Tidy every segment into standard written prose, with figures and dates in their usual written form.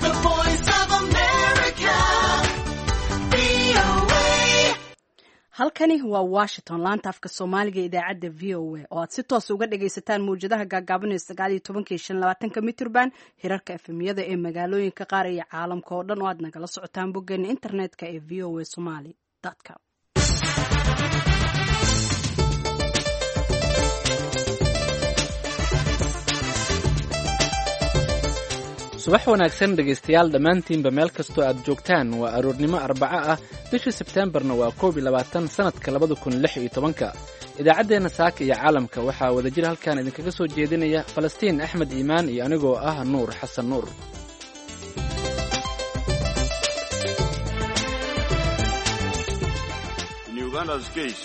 The Voice of America, VOA. Halkani waa Washington, laanta afka Soomaaliga ee idaacadda VOA oo aad si toos uga dhagaysataan mawjadaha gaagaaban ee 19-ka iyo 25-ka mitirban, hirarka efemyada ee magaalooyinka qaar iyo caalamka oo dhan oo aad nagala socotaan boggeena internetka ee voasomali.com. Subax wanaagsan dhegaystayaal dhammaantiinba, meel kastoo aad joogtaan. Waa aroornimo Arbaco ah, bishii Sebteembarna waa 21, sannadka 2016-ka. Idaacaddeenna saaka iyo caalamka waxaa wadajir halkan idinkaga soo jeedinaya Falastiin Axmed Iimaan iyo anigoo ah Nuur Xasan Nuur. In Uganda's case,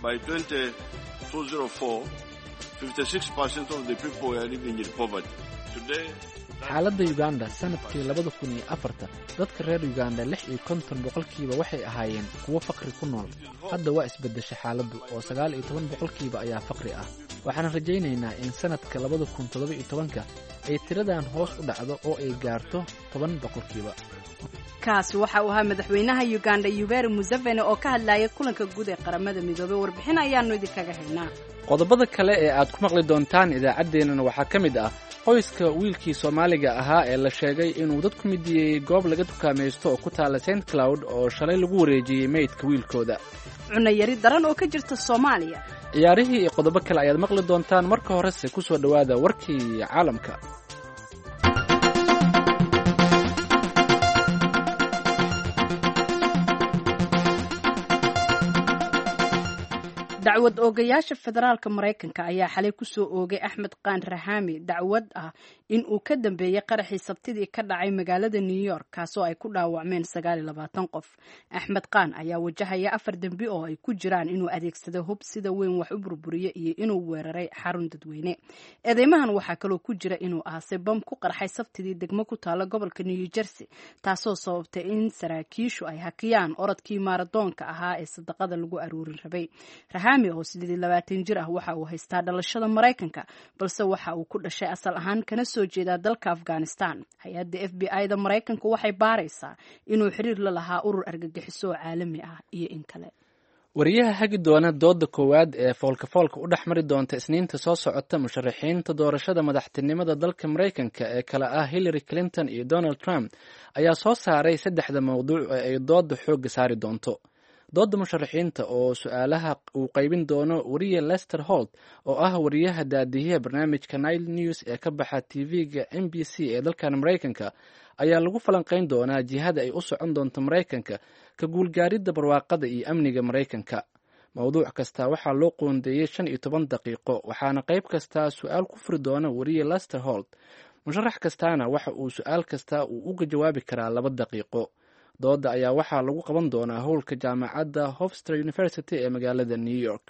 by 2004, 56% of the people were living in poverty. Today, Xaaladda Yuganda sannadkii 2004-ta, dadka reer Yuganda 56% waxay ahaayeen kuwo faqri ku nool. Hadda waa isbeddesha xaaladdu oo 19% ayaa faqri ah. Waxaan rajaynaynaa in sannadka 2017-ka ay tiradan hoos u dhacdo oo ay gaarto 10%. Kaasi waxa uu ahaa madaxweynaha Uganda Yoweri Museveni oo ka hadlaya kulanka guud ee Qaramada Midoobay. Warbixin ayaanu idinkaga haynaa. Qodobada kale ee aad ku maqli doontaan idaacaddeennan waxaa ka mid ah qoyska wiilkii Soomaaliga ahaa ee la sheegay inuu dad ku midiyey goob laga dukaamaysto oo ku taala St Cloud oo shalay lagu wareejiyey meydka wiilkooda. Cunayari daran oo ka jirta Soomaaliya. Ciyaarihii iyo qodobo kale ayaad maqli doontaan. Marka horese ku soo dhowaada warkii caalamka. Dacwad oogayaasha federaalka Maraykanka ayaa xalay kusoo oogay Axmed Qaan Raxaami dacwad ah in uu ka dambeeyey qaraxii Sabtidii ka dhacay magaalada New York, kaasoo ay ku dhaawacmeen 29 qof. Axmed Qaan ayaa wajahaya afar dembi oo ay ku jiraan inuu adeegsaday hub sida weyn wax u burburiye iyo inuu weeraray xarun dadweyne. Eedeymahan waxaa kaloo ku jira inuu aasay bam ku qarxay Sabtidii degmo ku taala gobolka New Jersey, taasoo sababtay in saraakiishu ay hakiyaan orodkii maaradoonka ahaa ee sadaqada lagu aruurin rabay. Raxaami oo 28 jir ah waxa uu haystaa dhalashada Maraykanka, balse waxa uu ku dhashay asal ahaan kana soo jeedaa dalka Afghanistan. Hay-adda FBI da Maraykanka waxay baaraysaa inuu xiriir la lahaa urur argagixiso oo caalami ah iyo in kale. Wariyaha hagi doona dooda koowaad ee foolkafoolka u dhex mari doonta Isniinta soo socota musharaxiinta doorashada madaxtinimada dalka Maraykanka ee kala ah Hillary Clinton iyo Donald Trump ayaa soo saaray saddexda mowduuc ee ay dooda xoogga saari doonto. Dooda musharaxiinta oo su-aalaha uu qaybin doono wariye Lester Holt oo ah wariyaha daadiyaha barnaamijka Nile News ee ka baxa TV-ga NBC ee dalkan Maraykanka ayaa lagu falanqayn doonaa jihada ay u socon doonto Maraykanka, ka guulgaaridda barwaaqada iyo amniga Maraykanka. Mowduuc kasta waxaa loo qoondeeyey 15 daqiiqo, waxaana qayb kastaa su-aal ku furi doona wariye Lester Holt. Musharax kastaana waxa uu su-aal kasta uu uga jawaabi karaa 2 daqiiqo. Dooda ayaa waxaa lagu qaban doonaa howlka jaamacadda Hofstra University ee magaalada New York.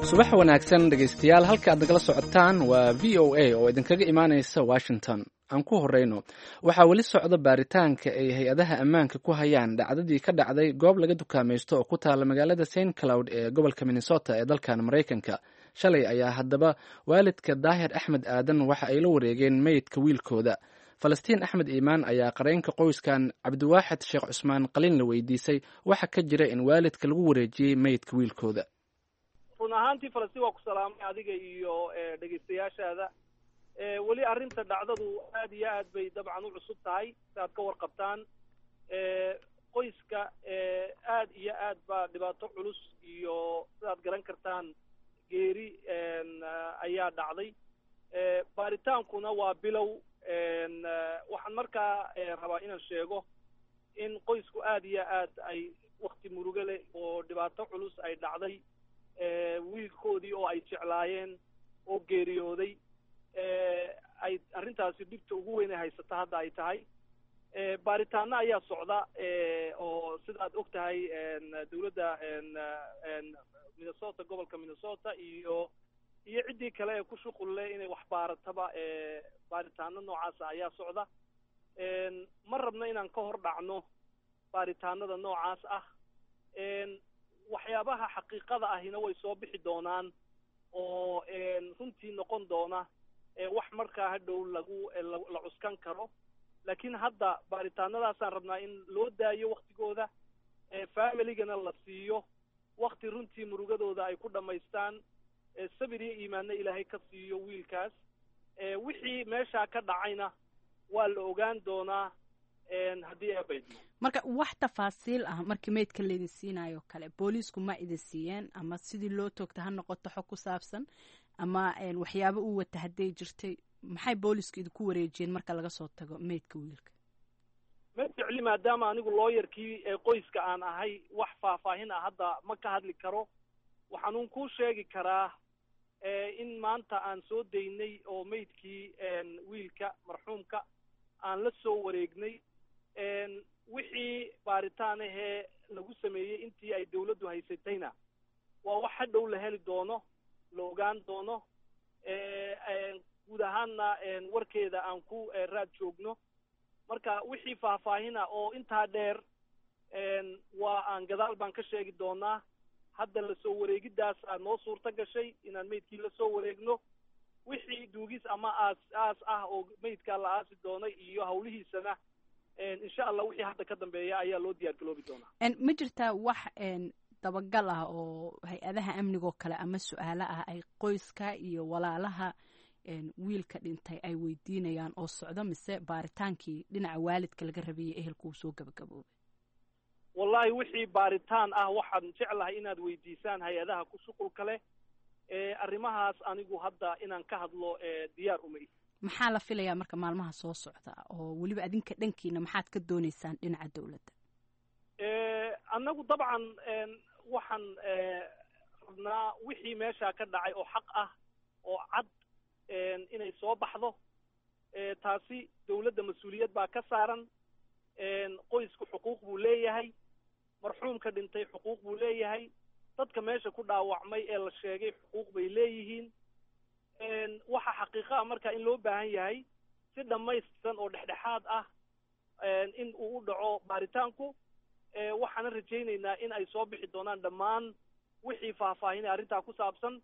Subax wanaagsan dhegaystayaal, halka aad nagala socotaan waa VOA oo idinkaga imaanaysa Washington. Aan ku horeyno, waxaa weli socda baaritaanka ay hay-adaha ammaanka ku hayaan dhacdadii ka dhacday goob laga dukaamaysto oo ku taala magaalada St Cloud ee gobolka Minnesota ee dalkan Maraykanka. Shalay ayaa haddaba waalidka Daahir Axmed Aadan waxa ay la wareegeen meydka wiilkooda. Falastiin Axmed Iimaan ayaa qareenka qoyskan Cabdiwaaxid Sheekh Cusmaan Qalin la weydiisay waxa ka jira in waalidka lagu wareejiyey meydka wiilkooda. Run ahaantii, Falastiin, waa ku salaamay adiga iyo dhegaystayaashaada. Weli arrinta dhacdadu aad iyo aad bay dabcan u cusub tahay. Si aad ka warqabtaan, qoyska aad iyo aad baa dhibaato culus iyo, sidaad garan kartaan, geeri ayaa dhacday. Baaritaankuna waa bilow. Waxaan markaa rabaa inaan sheego in qoysku aad iyo aad ay wakti murugo leh oo dhibaato culus ay dhacday, wiilkoodii oo ay jeclaayeen oo geeriyooday, ay arrintaasi dhibta ugu weyn ay haysata hadda ay tahay. Baaritaano ayaa socda oo, sidaad og tahay, dawladda Minnesota, gobolka Minnesota iyo ciddii kale ee ku shuqul leh inay wax baarataba, baaritaano noocaasa ayaa socda. Ma rabno inaan ka hor dhacno baaritaanada noocaas ah. Waxyaabaha xaqiiqada ahina way soo bixi doonaan oo runtii noqon doona wax markaa hadhow lagu la cuskan karo. Laakiin hadda baaritaanadaasaan rabnaa in loo daayo waktigooda, familigana la siiyo wakti runtii murugadooda ay ku dhammaystaan, sabir iyo iimaanna ilaahay ka siiyo wiilkaas. Wixii meeshaa ka dhacayna waa la ogaan doonaa haddii eebaydmo. Marka wax tafaasiil ah markii meydka laydin siinayo kale, booliisku ma idin siiyeen ama sidii loo toogta ha noqoto xog ku saabsan ama waxyaabo uu wata hadday jirtay, maxay boolisku idinku wareejiyeen marka laga soo tago meydka wiilka? Ma jecli, maadaama anigu looyarkii qoyska aan ahay, wax faahfaahin ah hadda ma ka hadli karo. Waxaanuun kuu sheegi karaa in maanta aan soo daynay oo meydkii wiilka marxuumka aan la soo wareegnay. Wixii baaritaan ahee lagu sameeyey intii ay dawladdu haysatayna waa wax hadhow la heli doono, la ogaan doono. Guud ahaanna warkeeda aan ku raad joogno. Marka wixii faahfaahina oo intaa dheer waa aan gadaal baan ka sheegi doonaa. Hadda lasoo wareegiddaas aa noo suurto gashay inaan meydkii lasoo wareegno. Wixii duugis ama aas aas ah oo meydkaa la aasi doonay iyo hawlihiisana, insha Allah wixii hadda ka dambeeya ayaa loo diyaar galoobi doonaa. Ma jirtaa wax dabagal ah oo hay-adaha amnigoo kale ama su-aalo ah ay qoyska iyo walaalaha wiilka dhintay ay weydiinayaan oo socdo, mise baaritaankii dhinaca waalidka laga rabiyey ehelku uu soo gabagaboobay? Wallahi wixii baaritaan ah waxaan jeclahay inaad weydiisaan hay-adaha ku shuqulka leh. Arrimahaas anigu hadda inaan ka hadlo diyaar uma ihi. Maxaa la filayaa marka maalmaha soo socda, oo weliba adinka dhankiina maxaad ka dooneysaan dhinaca dawladda? Annagu dabcan waxaan rabnaa wixii meeshaa ka dhacay oo xaq ah oo cad inay soo baxdo. Taasi dawladda mas-uuliyad baa ka saaran. Qoysku xuquuq buu leeyahay, marxuumka dhintay xuquuq buu leeyahay, dadka meesha ku dhaawacmay ee la sheegay xuquuq bay leeyihiin. Waxa xaqiiqa ah marka in loo baahan yahay si dhammaystiran oo dhexdhexaad ah in uu u dhaco baaritaanku. Waxaana rajaynaynaa in ay soo bixi doonaan dhammaan wixii faahfaahinay arrintaa ku saabsan.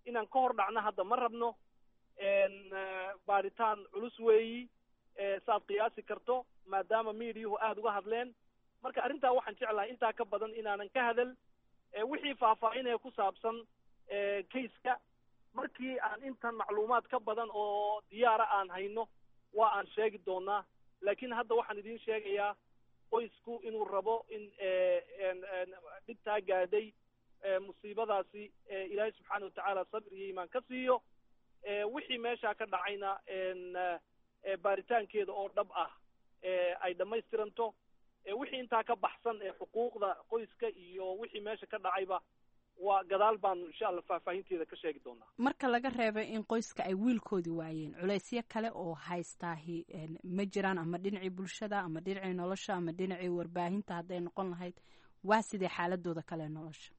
Inaan ka hor dhacno hadda ma rabno. Baaritaan culus weeyi, saaad qiyaasi karto, maadaama miidiyuhu aada uga hadleen. Marka arrintaa waxaan jeclahay intaa ka badan inaanan ka hadal. Wixii faahfaahinaya ku saabsan kayska, markii aan intan macluumaad ka badan oo diyaara aan hayno waa aan sheegi doonaa. Laakiin hadda waxaan idiin sheegayaa qoysku inuu rabo in dhibtaa gaadhay musiibadaasi ilaahay subxaana watacaala sabir iyo iimaan ka siiyo. Wixii meeshaa ka dhacayna baaritaankeeda oo dhab ah ay dhammaystiranto. Wixii intaa ka baxsan ee xuquuqda qoyska iyo wixii meesha ka dhacayba waa gadaal baanu insha Allah faahfaahinteeda ka sheegi doonaa. Marka laga reebay in qoyska ay wiilkoodii waayeen, culaysyo kale oo haystaahi ma jiraan, ama dhinacii bulshada ama dhinacii nolosha ama dhinacii warbaahinta hadday noqon lahayd, waa sidee xaaladooda kale nolosha?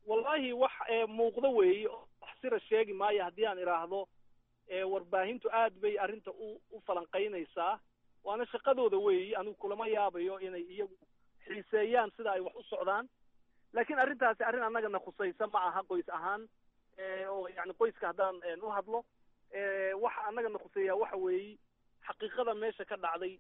Wallahi wax muuqdo weeye, wax sira sheegi maayo haddii aan idhaahdo warbaahintu aad bay arrinta u falanqaynaysaa, waana shaqadooda weeyi. Anigu kulama yaabayo inay iyagu xiiseeyaan sida ay wax u socdaan, laakiin arrintaasi arrin annagana khusaysa ma aha qoys ahaan. Oo yani qoyska haddaan u hadlo, waxa annagana khuseeyaa waxa weeyi xaqiiqada meesha ka dhacday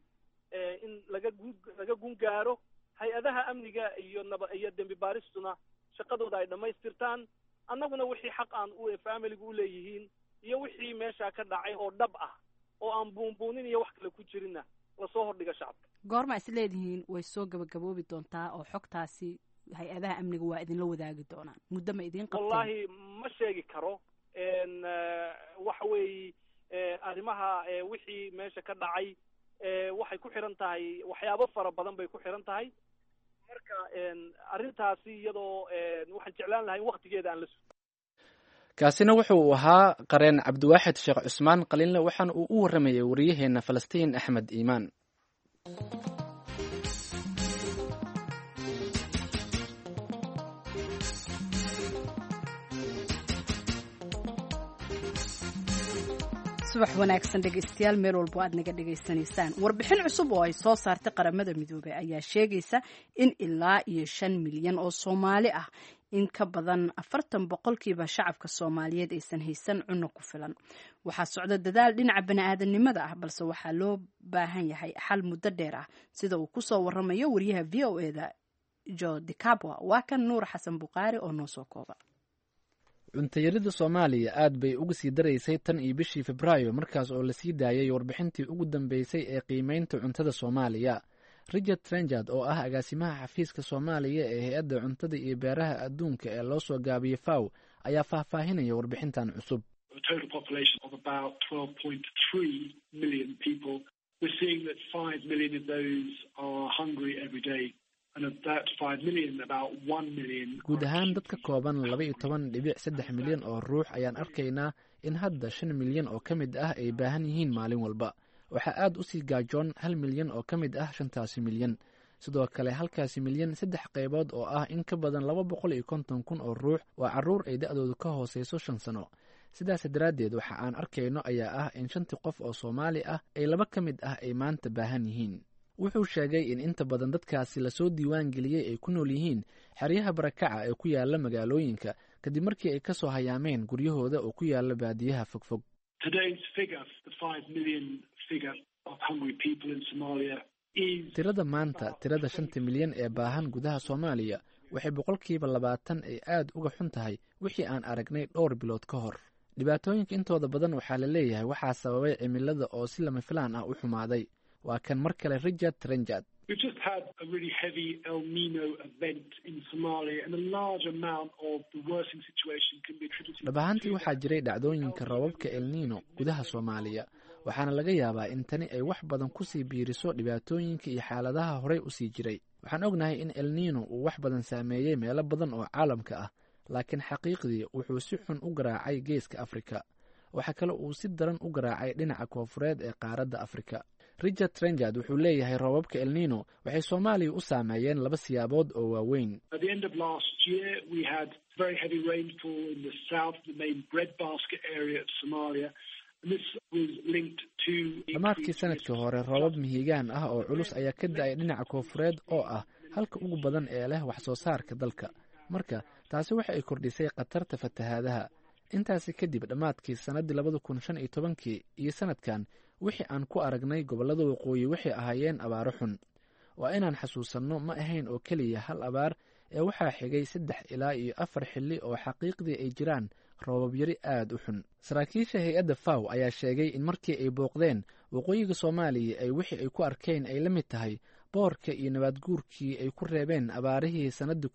in laga gun gaaro, hay-adaha amniga iyo naba iyo dembi baaristuna shaqadooda ay dhammaystirtaan, annaguna wixii xaq aan familigu uleeyihiin iyo wixii meesha ka dhacay oo dhab ah oo aan buunbuunin iyo wax kale ku jirinna lasoo hordhiga shacabka. Goorma is leedihiin way soo gabagaboobi doontaa oo xogtaasi hay-adaha amniga waa idinla wadaagi doonaan? Muddo ma idiin qabteen? Wallahi ma sheegi karo. Waxa weeye arrimaha wixii meesha ka dhacay waxay ku xiran tahay waxyaabo fara badan bay ku xiran tahay. Marka arrintaasi iyadoo waxaan jeclaan lahay in waktigeeda aan la sugo. Kaasina wuxuu ahaa qareen Cabdiwaaxid Sheekh Cusmaan Qalinle, waxaana uu u warramayay wariyaheena Falastiin Axmed Iimaan. Subax wanaagsan dhegeystayaal, meel walbo aad naga dhegaysanaysaan. Warbixin cusub oo ay soo saartay Qaramada Midoobey ayaa sheegaysa in ilaa iyo 5 milyan oo Soomaali ah, in ka badan 40% shacabka Soomaaliyeed, aysan haysan cunno ku filan. Waxaa socda dadaal dhinaca bani'aadanimada ah, balse waxaa loo baahan yahay xal muddo dheer ah, sida uu kusoo waramayo wariyaha VOA-da Jo Dicabwa. Waa kan Nuur Xasan Bukhaari oo noo soo kooba. Cuntayarida Soomaaliya aad bay uga sii daraysay tan iyo bishii Febraayo, markaas oo lasii daayay warbixintii ugu dambeysay ee qiimeynta cuntada Soomaaliya. Richard Trenchard, oo ah agaasimaha xafiiska Soomaaliya ee Hay-adda Cuntada iyo Beeraha Adduunka ee loo soo gaabiyey FAO, ayaa faahfaahinaya warbixintan cusub. A total population of about 12.3 million people. We're seeing that 5 million of those are hungry every day. And of that 5 million, about 1 million. Guud ahaan dad ka kooban 12.3 milyan oo ruux ayaan arkaynaa in hadda 5 milyan oo ka mid ah ay baahan yihiin maalin walba. Waxaa aad u sii gaajoon 1 milyan oo ka mid ah shantaasi milyan. Sidoo kale halkaasi milyan saddex qaybood, oo ah in ka badan 250,000 oo ruux, waa carruur ay da'doodu ka hooseyso 5 sano. Sidaas daraaddeed waxa aan arkayno ayaa ah in shantii qof oo Soomaali ah ay laba ka mid ah ay maanta baahan yihiin. Wuxuu sheegay in inta badan dadkaasi lasoo diiwaan geliyey ay ku nool yihiin xeryaha barakaca ee ku yaala magaalooyinka, kadib markii ay kasoo hayaameen guryahooda oo ku yaala baadiyaha fogfog. Today's figure, the 5 million figure of hungry people in Somalia, is Tirada maanta, tirada 5-ta milyan ee baahan gudaha Soomaaliya, waxay 20% ay aad uga xun tahay wixii aan aragnay dhowr bilood ka hor. Dhibaatooyinka intooda badan waxaa la leeyahay waxaa sababay cimilada oo si lama filaan ah u xumaaday. Waa kan mar kale Richard Trenchard. We've just had a really heavy El Nino event in Somalia, and a large amount of the worsening situation can be attributed Dhab ahaantii waxaa jiray dhacdooyinka roobabka El Nino gudaha Soomaaliya, waxaana laga yaabaa in tani ay wax badan kusii biiriso dhibaatooyinka iyo xaaladaha horey usii jiray. Waxaan ognahay in El Nino uu wax badan saameeyey meelo badan oo caalamka ah, laakiin xaqiiqdii wuxuu si xun u garaacay Geeska Afrika. Waxaa kale uu si daran u garaacay dhinaca koonfureed ee qaaradda Afrika. Richard Trenchard wuxuu leeyahay roobabka El Nino waxay Soomaaliya u saameeyeen laba siyaabood oo waaweyn. At the end of last year, we had very heavy rainfall in the south, the main breadbasket area of Somalia, and this was linked to Dhammaadkii sanadkii hore roobab mihigaan ah oo culus ayaa ka da'ay dhinaca koonfureed, oo ah halka ugu badan ee leh wax soo saarka dalka. Marka taasi waxa ay kordhisay khatarta fatahaadaha. Intaasi kadib, dhammaadkii sannaddii 2015-kii iyo sanadkan, wixii aan ku aragnay gobollada waqooyi waxay ahaayeen abaaro xun. Waa inaan xasuusanno, ma ahayn oo keliya hal abaar ee waxaa xigay saddex ilaa iyo afar xilli oo xaqiiqdii ay jiraan roobab yari aad u xun. Saraakiisha hay-adda FAO ayaa sheegay in markii ay booqdeen waqooyiga Soomaaliya ay wixii ay ku arkeen ay la mid tahay boorka iyo nabaadguurkii ay ku reebeen abaarihii sannaddii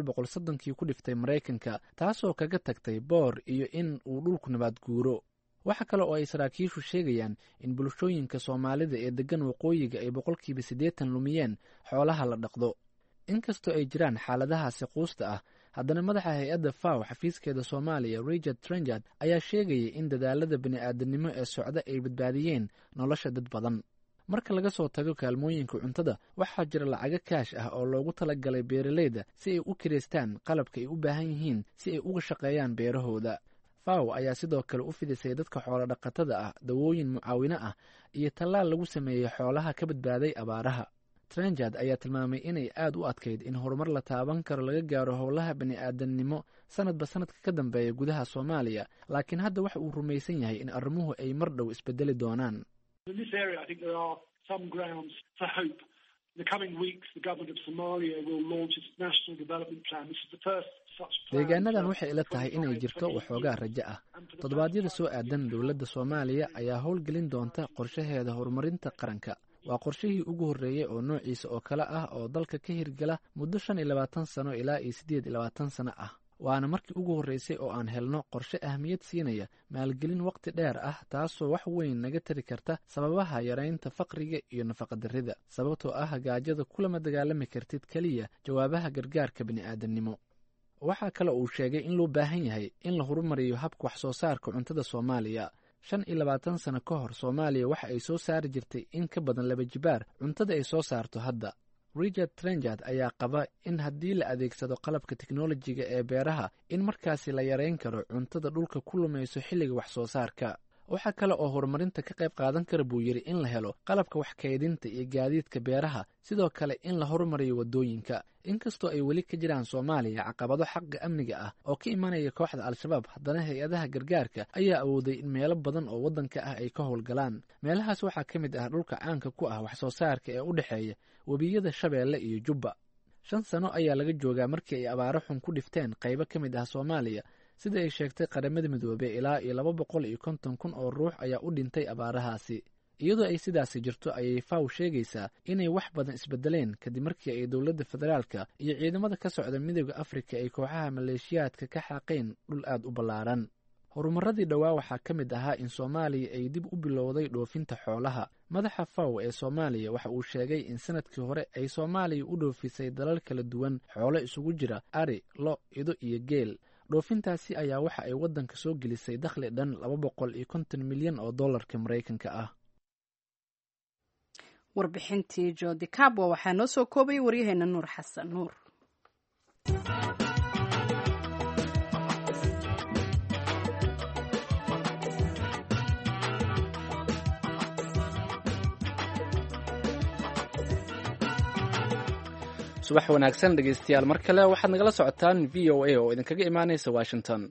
1930-kii ku dhiftay Maraykanka, taasoo kaga tagtay boor iyo in uu dhulku nabaadguuro. Waxa kale oo ay saraakiishu sheegayaan in bulshooyinka Soomaalida ee deggan waqooyiga ay 80% lumiyeen xoolaha la dhaqdo. Inkastoo ay jiraan xaaladahaasi quusta ah, haddana madaxa hay-adda FAO xafiiskeeda Soomaaliya, Richard Trenchard, ayaa sheegayay in dadaalada bini'aadanimo ee socda ay badbaadiyeen nolosha dad badan. Marka laga soo tago kaalmooyinka cuntada, waxaa jira lacago kaash ah oo loogu talagalay beeralayda si ay u kireystaan qalabka ay u baahan yihiin si ay uga shaqeeyaan beerahooda. FAO ayaa sidoo kale u fidisay dadka xoolo dhaqatada ah dawooyin mucaawino ah iyo tallaal lagu sameeyey xoolaha ka badbaaday abaaraha. Trenchard ayaa tilmaamay inay aad u adkayd in horumar la taaban karo laga gaaro howlaha bini'aadannimo sanadba sanadka ka dambeeya gudaha Soomaaliya, laakiin hadda waxa uu rumaysan yahay in arrimuhu ay mar dhow isbedeli doonaan. In this area, I think there are some grounds for hope. In the coming weeks, the government of Somalia will launch its national development plan. This is the first such plan. Deegaanadan waxay ila tahay inay jirto waxoogaa rajo ah. Toddobaadyada soo aadan, dowladda Soomaaliya ayaa howlgelin doonta qorshaheeda horumarinta qaranka. Waa qorshihii ugu horreeyey oo noociisa oo kale ah oo dalka ka hirgala muddo 25 sano ilaa iyo 28 sano ah, waana markii ugu horreysay oo aan helno qorshe ahmiyad siinaya maalgelin waqti dheer ah, taasoo wax weyn naga tari karta sababaha yaraynta faqriga iyo nafaqadarrida, sababtoo ah gaajada kulama dagaalami kartid keliya jawaabaha gargaarka bini'aadannimo. Waxaa kale uu sheegay in loo baahan yahay in la horumariyo habka wax soo saarka cuntada Soomaaliya. 25 sano ka hor, Soomaaliya waxa ay soo saari jirtay in ka badan laba jibaar cuntada ay soo saarto hadda. Richard Trenchard ayaa qaba in haddii la adeegsado qalabka teknolojiga ee beeraha, in markaasi la yareyn karo cuntada dhulka ku lumayso xilliga wax soo saarka. Waxaa kale oo horumarinta ka qayb qaadan kara, buu yidhi, in la helo qalabka wax kaydinta iyo gaadiidka beeraha, sidoo kale in la horumariyo waddooyinka. Inkastoo ay weli ka jiraan Soomaaliya caqabado xagga amniga ah oo ka imanaya kooxda Al-Shabaab, haddana hay-adaha gargaarka ayaa awooday in meelo badan oo waddanka ah ay ka howlgalaan. Meelahaas waxaa ka mid ah dhulka caanka ku ah wax soo saarka ee u dhexeeya webiyada Shabeelle iyo Jubba. 5 sano ayaa laga joogaa markii ay abaaro xun ku dhifteen qaybo ka mid ah Soomaaliya. Sida ay sheegtay Qaramada Midoobey, ilaa iyo 250,000 oo ruux ayaa u dhintay abaarahaasi. Iyadoo ay sidaasi jirto ayay FAO sheegaysaa inay wax badan isbedeleen kadib markii ay dowladda federaalka iyo ciidamada ka socda Midooda Afrika ay kooxaha maleeshiyaadka ka xaaqeen dhul aad u ballaaran. Horumaradii dhowaa waxaa ka mid ahaa in Soomaaliya ay dib u bilowday dhoofinta xoolaha. Madaxa FAO ee Soomaaliya waxa uu sheegay in sanadkii hore ay Soomaaliya u dhoofisay dalal kala duwan xoolo isugu jira ari, lo, ido iyo geel. Dhoofintaasi ayaa waxa ay waddanka soo gelisay dakhli dhan 250 milyan oo dollarka Maraykanka ah. Warbixintii Jodi Cabwa waxaa noo soo koobayay waryaheena Nuur Xasan Nuur. Subax wanaagsan, dhegeystayaal, mar kale. Waxaad nagala socotaan VOA oo idinkaga imaaneysa Washington.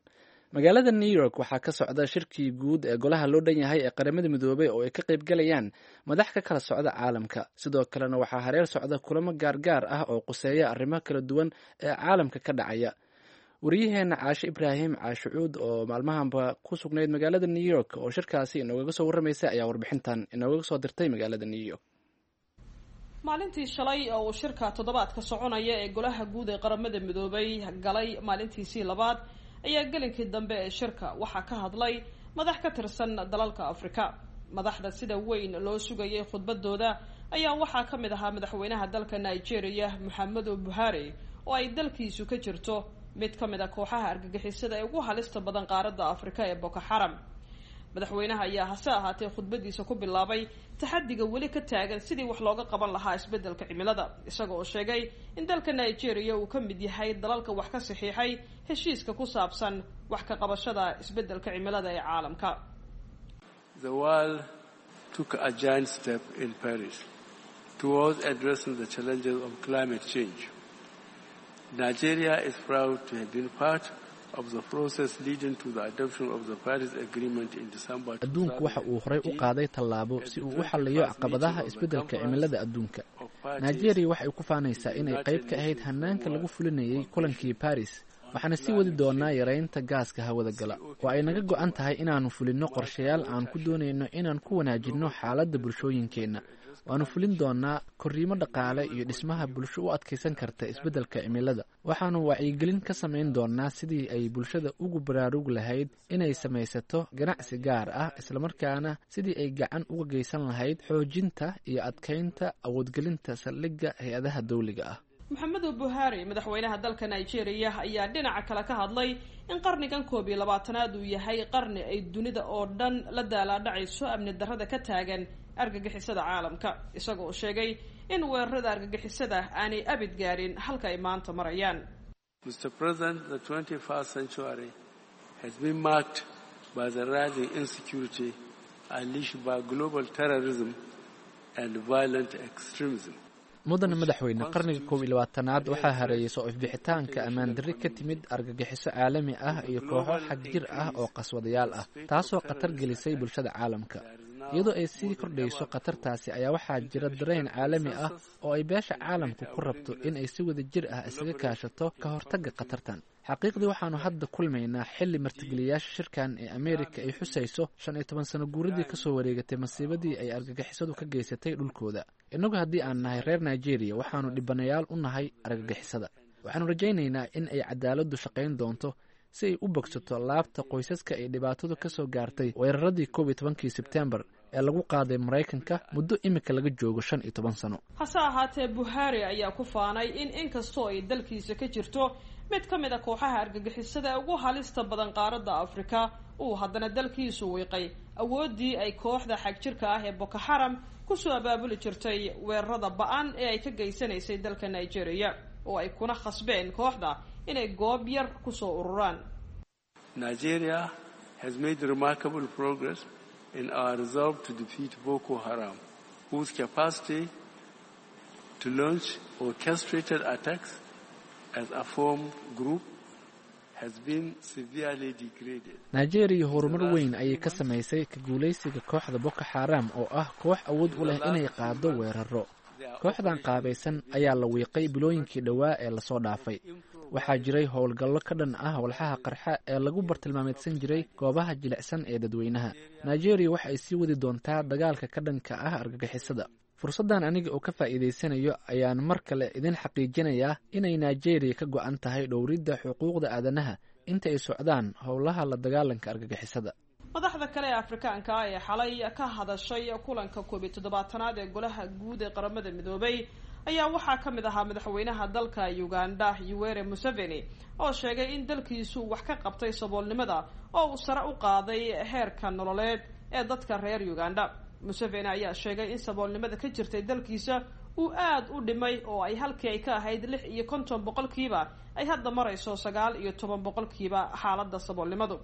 Magaalada New York waxaa ka socda shirkii guud ee golaha loo dhan yahay ee Qaramada Midoobay oo ay ka qayb galayaan madax ka kala socda caalamka. Sidoo kalena waxaa hareer socda kulamo gaargaar ah oo quseeya arrimo kala duwan ee caalamka ka dhacaya. Wariyaheena Caashe Ibraahim Caashicuud oo maalmahanba ku sugnayd magaalada New York oo shirkaasi inoogaga soo warramaysa ayaa warbixintan inoogaga soo dirtay magaalada New York. Maalintii shalay oo uu shirka toddobaadka soconaya ee golaha guud ee Qaramada Midoobay galay maalintiisii labaad ayaa gelinkii dambe ee shirka waxaa ka hadlay madax ka tirsan dalalka Afrika. Madaxda sida weyn loo sugayay khudbadooda ayaa waxaa ka mid ahaa madaxweynaha dalka Nigeria, Maxamedu Buhari, oo ay dalkiisu ka jirto mid ka mid a kooxaha argagixisada ee ugu halista badan qaaradda Afrika ee Boko Xaram. Madaxweynaha ayaa hase ahaatee khudbadiisa ku bilaabay taxadiga weli ka taagan sidii wax looga qaban lahaa isbeddelka cimilada, isaga oo sheegay in dalka Nigeria uu ka mid yahay dalalka wax ka saxiixay heshiiska ku saabsan wax ka qabashada isbeddelka cimilada ee caalamka. The world took a giant step in Paris towards addressing the challenges of climate change. Nigeria is proud to have been part of the process leading to the adoption of the Paris Agreement in December. Adduunku waxa uu horey u qaaday tallaabo si uu u xalliyo caqabadaha isbeddelka cimilada adduunka. Nigeria waxay ku faanaysaa inay qayb ka ahayd hanaanka lagu fulinayay kulankii Paris, waxaana sii wadi doonaa yareynta gaaska hawada gala, oo ay naga go'an tahay inaannu fulinno qorshayaal aan ku doonayno inaan ku wanaajinno xaaladda bulshooyinkeenna. Waannu fulin doonaa korriimo dhaqaale iyo dhismaha bulsho u adkaysan karta isbeddelka cimilada. Waxaannu wacyigelin ka samayn doonaa sidii ay bulshada ugu baraarugi lahayd inay samaysato ganacsi gaar ah, islamarkaana sidii ay gacan uga geysan lahayd xoojinta iyo adkaynta awoodgelinta saldhigga hay-adaha dawliga ah. Maxamedu Buhari, madaxweynaha dalka Nigeria, ayaa dhinaca kale ka hadlay in qarnigan 21aad uu yahay qarni ay dunida oo dhan la daalaadhacayso amni darrada ka taagan argagixisada caalamka, isaga oo sheegay in weerarada argagixisada aanay abid gaarin halka ay maanta marayaan. Mr. President, the 21st century has been marked by the rising insecurity unleashed by global terrorism and violent extremism. Mudane madaxweyne, qarniga 21aad waxaa hareeyay soo ifbixitaanka ammaan darri ka timid argagixiso caalami ah iyo kooxo xagjir ah oo qaswadayaal ah, taasoo khatar gelisay bulshada caalamka. Iyadoo ay sii kordhayso khatartaasi ayaa waxaa jira dareen caalami ah oo ay beesha caalamku ku rabto in ay si wada jir ah isaga kaashato ka hortagga khatartan. Xaqiiqdii, waxaanu hadda kulmaynaa xilli martigeliyaasha shirkan ee Ameerika ay xusayso 15 sano guuradii kasoo wareegatay masiibadii ay argagixisadu ka geysatay dhulkooda. Innagu haddii aan nahay reer Nigeria, waxaanu dhibanayaal u nahay argagixisada. Waxaanu rajaynaynaa in ay cadaaladdu shaqayn doonto si ay u bogsato laabta qoysaska ay dhibaatadu ka soo gaartay weeraradii 11-kii Sebtembar ee lagu qaaday Maraykanka muddo imika laga joogo 15 sano. Hase ahaatee, Buhari ayaa ku faanay in inkastoo ay dalkiisa ka jirto mid ka mid a kooxaha argagixisada ee ugu halista badan qaaradda Afrika, uu haddana dalkiisu wiiqay awooddii ay kooxda xagjirka ah ee Boko Xaram kusoo abaabuli jirtay weerarada ba-an ee ay ka geysanaysay dalka Nigeria, oo ay kuna khasbeen kooxda inay goob yar kusoo ururaan. Nigeria has made remarkable progress in our resolve to defeat Boko Haram, whose capacity to launch orchestrated attacks as a formed group has been severely degraded. Nigeria horumar weyn ayay ka samaysay ka guulaysiga kooxda Boko Xaram oo ah koox awood u leh inay qaado weeraro. Kooxdan qaabaysan ayaa la wiiqay bilooyinkii dhowaa ee lasoo dhaafay. Waxaa jiray howlgallo ka dhan ah walxaha qarxa ee lagu bartilmaameedsan jiray goobaha jilicsan ee dadweynaha. Nigeria waxa ay sii wadi doontaa dagaalka ka dhanka ah argagixisada. Fursaddan aniga oo ka faa'iidaysanayo ayaan mar kale idin xaqiijinayaa inay Nigeria ka go'an tahay dhowridda xuquuqda aadanaha inta ay socdaan howlaha la dagaalanka argagixisada. Madaxda kale ee Afrikaanka ah ee xalay ka hadashay kulanka 71aad ee Golaha Guud ee Qaramada Midoobay ayaa waxaa ka mid ahaa madaxweynaha dalka Uganda, Yoweri Museveni, oo sheegay in dalkiisu wax ka qabtay saboolnimada oo uu sare u qaaday heerka nololeed ee dadka reer Uganda. Museveni ayaa sheegay in saboolnimada ka jirtay dalkiisa uu aada u dhimay, oo ay halkii ay ka ahayd 56% ay hadda marayso 19% xaaladda saboolnimadu,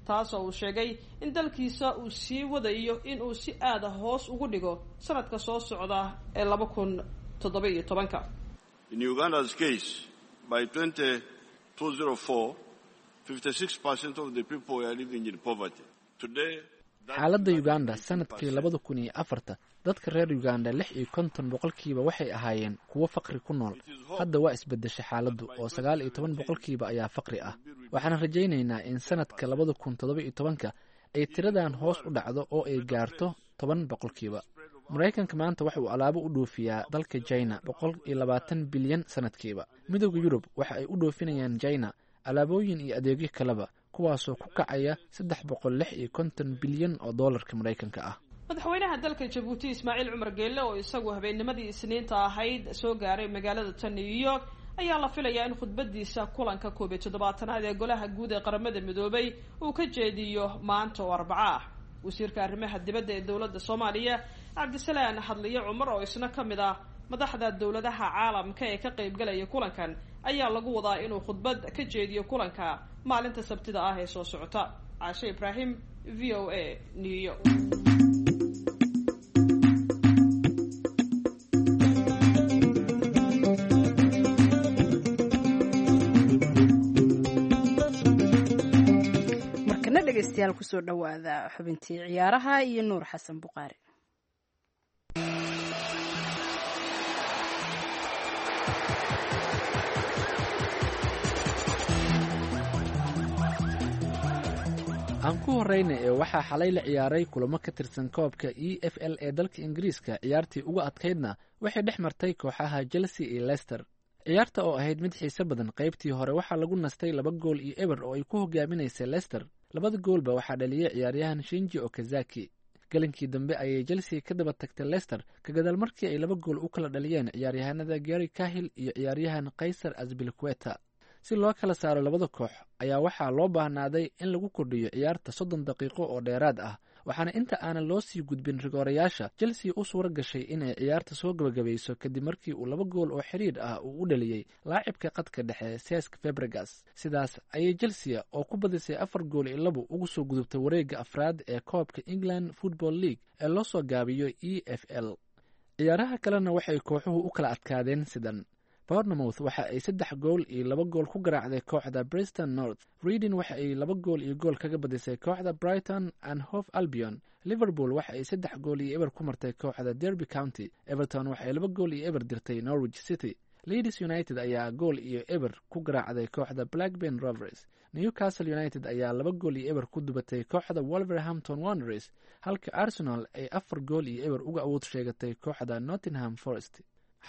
taasoo uu sheegay in dalkiisa uu sii wadayo in uu si aada hoos ugu dhigo sanadka soo socda ee 2017-ka. In Uganda's case, by 2004, 56% of the people were living in poverty. Today, Xaaladda Uganda sanadkii 2004-ta, dadka reer Uganda 56% waxay ahaayeen kuwo faqri ku nool. Hadda waa isbedeshay xaaladdu oo 19% ayaa faqri ah. Waxaan rajaynaynaa in sanadka 2017-ka ay tiradan hoos u dhacdo oo ay gaarto 10%. Maraykanka maanta waxa uu alaabo u dhoofiyaa dalka China 120 bilyan sanadkiiba. Midowda Yurub waxa ay u dhoofinayaan China alaabooyin iyo adeegyo kaleba, kuwaasoo ku kacaya 356 bilyan oo doolarka Maraykanka ah. Madaxweynaha dalka Jabuuti, Ismaaciil Cumar Geelle, oo isagu habeennimadii Isniinta ahayd soo gaaray magaalada tan New York, ayaa la filayaa in khudbadiisa kulanka 71aad ee Golaha Guud ee Qaramada Midoobay uu ka jeediyo maanta oo Arbaco ah. Wasiirka arrimaha dibadda ee dowladda Soomaaliya, Cabdisalaan Hadliye Cumar, oo isna ka mid ah madaxda dowladaha caalamka ee ka qaybgalaya kulankan, ayaa lagu wadaa inuu khudbad ka jeediyo kulanka maalinta Sabtida ah ee soo socota. Caashe Ibraahim, VOA, New York. Markana dhegeystayaal, kusoo dhowaada xubintii ciyaaraha iyo Nuur Xasan Buqaari. Aan ku horeyna ee waxaa xalay la ciyaaray kulamo ka tirsan koobka EFL ee dalka Ingiriiska. Ciyaartii ugu adkaydna waxay dhex martay kooxaha Chelsea iyo Leicester. Ciyaarta oo ahayd mid xiise badan, qaybtii hore waxaa lagu nastay 2 gool iyo 0 oo ay ku hogaaminaysay Leicester. Labada goolba waxaa dhaliyey ciyaaryahan Shinji Okazaki. Galinkii dambe ayay Chelsea ka daba tagtay Leicester, ka gadaal markii ay laba gool u kala dhaliyeen ciyaaryahanada Gary Cahill iyo ciyaaryahan Kaysar Azpilicueta. Si loo kala saaro labada koox ayaa waxaa loo baahnaaday in lagu kordhiyo ciyaarta 30 daqiiqo oo dheeraad ah, waxaana inta aanan loo sii gudbin rigoorayaasha Chelsea u suura gashay inay ciyaarta soo gabagabayso, kadib markii uu laba gool oo xidhiidh ah uu u dhaliyey laacibka qadka dhexe Cesc Fabregas. Sidaas ayay Chelsea oo ku badisay 4 gool iyo 2 ugu soo gudubtay wareegga afraad ee koobka England Football League ee loo soo gaabiyo EFL. Ciyaaraha kalena waxay kooxuhu u kala adkaadeen sidan: Bournemouth waxa ay 3 gool iyo 2 gool ku garaacday kooxda Preston North. Reading waxa ay 2 gool iyo gool kaga badisay kooxda Brighton and Hove Albion. Liverpool waxa ay 3 gool iyo 0 ku martay kooxda Derby County. Everton waxa ay 2 gool iyo 0 dirtay Norwich City. Leeds United ayaa 1 gool iyo 0 ku garaacday kooxda Blackburn Rovers. Newcastle United ayaa 2 gool iyo 0 ku dubatay kooxda Wolverhampton Wanderers, halka Arsenal ay 4 gool iyo 0 uga awood sheegatay kooxda Nottingham Forest.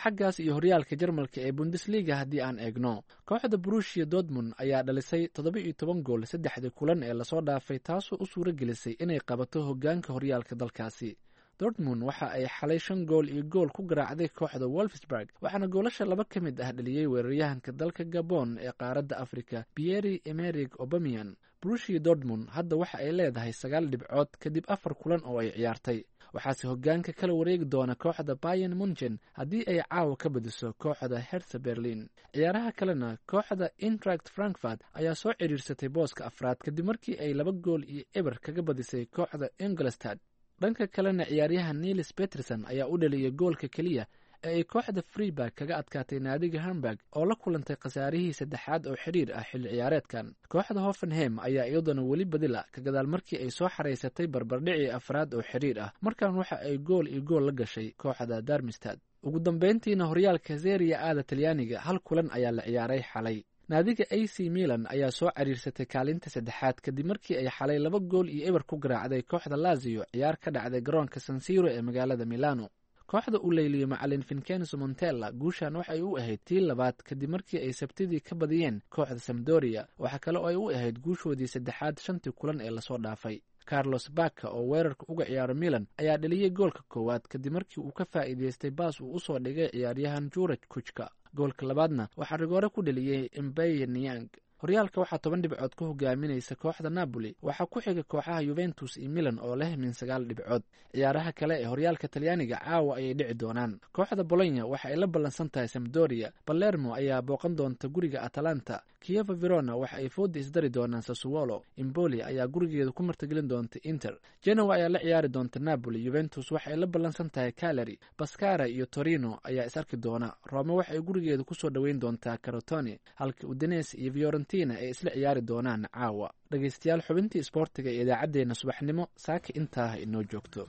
Xaggaas iyo horyaalka Jarmalka ee Bundesliga haddii aan eegno, kooxda Borussia Dortmund ayaa dhalisay 17 gool saddexdii kulan ee lasoo dhaafay, taasoo u suura gelisay inay qabato hoggaanka horyaalka dalkaasi. Dortmund waxa ay xalay 5 gool iyo gool ku garaacday kooxda Wolfsburg, waxaana goolasha laba ka mid ah dhaliyey weeraryahanka dalka Gabon ee qaaradda Afrika, Pierre Emerick Aubameyang. Borussia Dortmund hadda waxa ay leedahay sagaal dhibcood kadib afar kulan oo ay ciyaartay, waxaase hoggaanka kala wareegi doona kooxda Bayern Munchen haddii ay caawa ka badiso kooxda Hertha Berlin. Ciyaaraha kalena, kooxda Eintracht Frankfurt ayaa soo cidhiirsatay booska afraad kadib markii ay 2 gool iyo 0 kaga badisay kooxda Ingolstadt. Dhanka kalena ciyaaryahan Niels Peterson ayaa u dhaliyay goolka keliya ee ay kooxda Freeburg kaga adkaatay naadiga Hamburg oo la kulantay khasaarihii saddexaad oo xiriir ah xilli ciyaareedkan. Kooxda Hoffenheim ayaa iyaduna weli badila ka gadaal markii ay soo xareysatay barbardhicii afraad oo xiriir ah. Markan waxa ay gool iyo gool la gashay kooxda Darmstadt. Ugu dambeyntiina horyaalka Serie A-da Talyaaniga hal kulan ayaa la ciyaaray xalay. Naadiga AC Milan ayaa soo cariirsatay kaalinta saddexaad kadib markii ay xalay 2-0 ku garaacday kooxda Lazio ciyaar ka dhacday garoonka San Siro ee magaalada Milano. Kooxda uu leyliyey macalin Vincenzo Montella guushan waxay u ahayd tii labaad kadib markii ay Sabtidii ka badiyeen kooxda Sampdoria. Waxaa kale oo ay u ahayd guushoodii saddexaad shantii kulan ee lasoo dhaafay. Carlos Bacca oo weerarka uga ciyaaro Milan ayaa dhaliyey goolka koowaad kadib markii uu ka faa'iidaystay baas uu usoo dhigay ciyaaryahan Juraj Kuchka. Goolka labaadna waxaa rigoore ku dhaliyey Mbaye Niang. Horyaalka waxaa 10 dhibcood ka hogaaminaysa kooxda Napoli, waxaa ku xiga kooxaha Juventus iyo Milan oo leh min 9 dhibcood. Ciyaaraha kale ee horyaalka Talyaaniga caawa ayay dhici doonaan. Kooxda Bologna waxa ay la ballansan tahay Sampdoria, Palermo ayaa booqan doonta guriga Atalanta, Chievo Verona waxa ay fooda isdari doonaan Sassuolo, Empoli ayaa gurigeeda ku martigelin doonta Inter, Genoa ayaa la ciyaari doonta Napoli, Juventus waxa ay la ballansan tahay Cagliari, Pescara iyo Torino ayaa is arki doona, Roma waxa ay gurigeeda kusoo dhoweyn doontaa Crotone, halka Udinese iyo Fiorentina ay isla ciyaari doonaan caawa. Dhegeystayaal, xubintii isboortiga ee idaacaddeenna subaxnimo saaka intaa inoo joogto.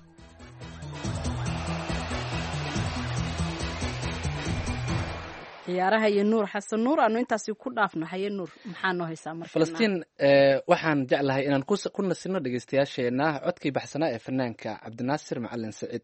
Ciyaaraha iyo Nuur Xasan Nuur aanu intaasi ku dhaafno. Haye Nuur, maxaa noo haysaa marka? Falastiin, waxaan jeclahay inaan ku nasino dhegeystayaasheenna codkii baxsanaa ee fanaanka Cabdinaasir Macalin Saciid.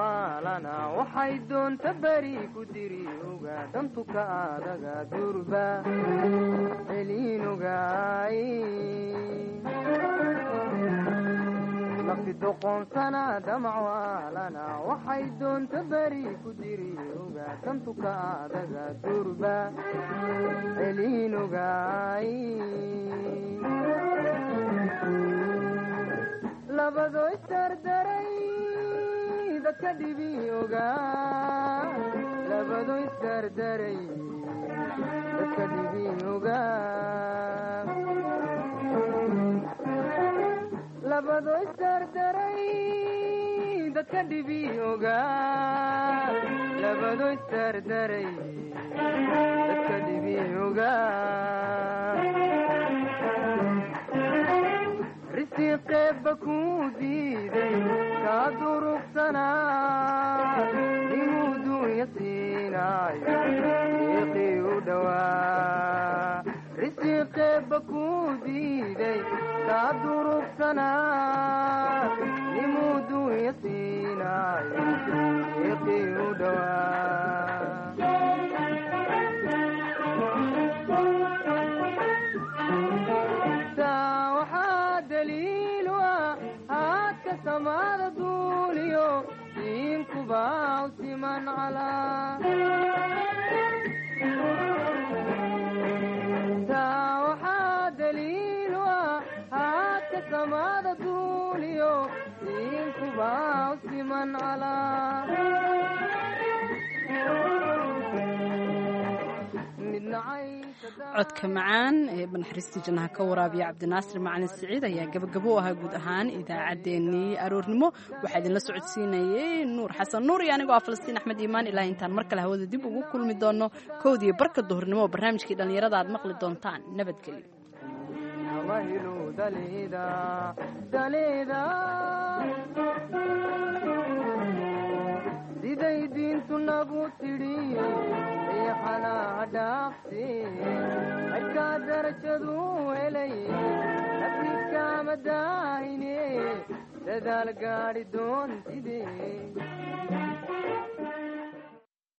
Waxay doonta beri ku diri oga dantuka adaga durba celinogaay nafti doqoonsana damacwaalana waxay doonta beri ku diri oga dantuka adaga durba celinogaay labado isdardaray dadka dhibi ogaa labado isdardaray dadka dhibi ogaa labado isdardaray dadka dhibi ogaa labado isdardaray dadka dhibi ogaa risiqeebba kuu diiday kaa durugsanaa inuu dunya siinaayo deeqii u dhowaa risiqeebba kuu diiday kaa durugsanaa inuu dunya siinaayo deeqii u dhowaa. Samada duuliyo diinkuba siman calaa taa waxaa daliilu ah haadka samada duuliyo diinkuba siman calaa. Codka macaan ee banaxariistii jannaha ka waraabiya Cabdinaasir Macalin Siciid ayaa gabagabo u ahaa guud ahaan idaacaddeenii aroornimo. Waxaa idinla socodsiinayay Nuur Xasan Nuur iyo anigoo ah Falastiin Axmed Iimaan. Ilaa intaan mar kale hawada dib ugu kulmi doono kowdiiyo barka duhurnimo oo barnaamijkii dhallinyarada aad maqli doontaan. Nabadgelyo. Siday diintu nagu tidhi riixanaa dhaafsi cidkaa darajadu helay nafidkaama daahine dadaal gaadhi doontide.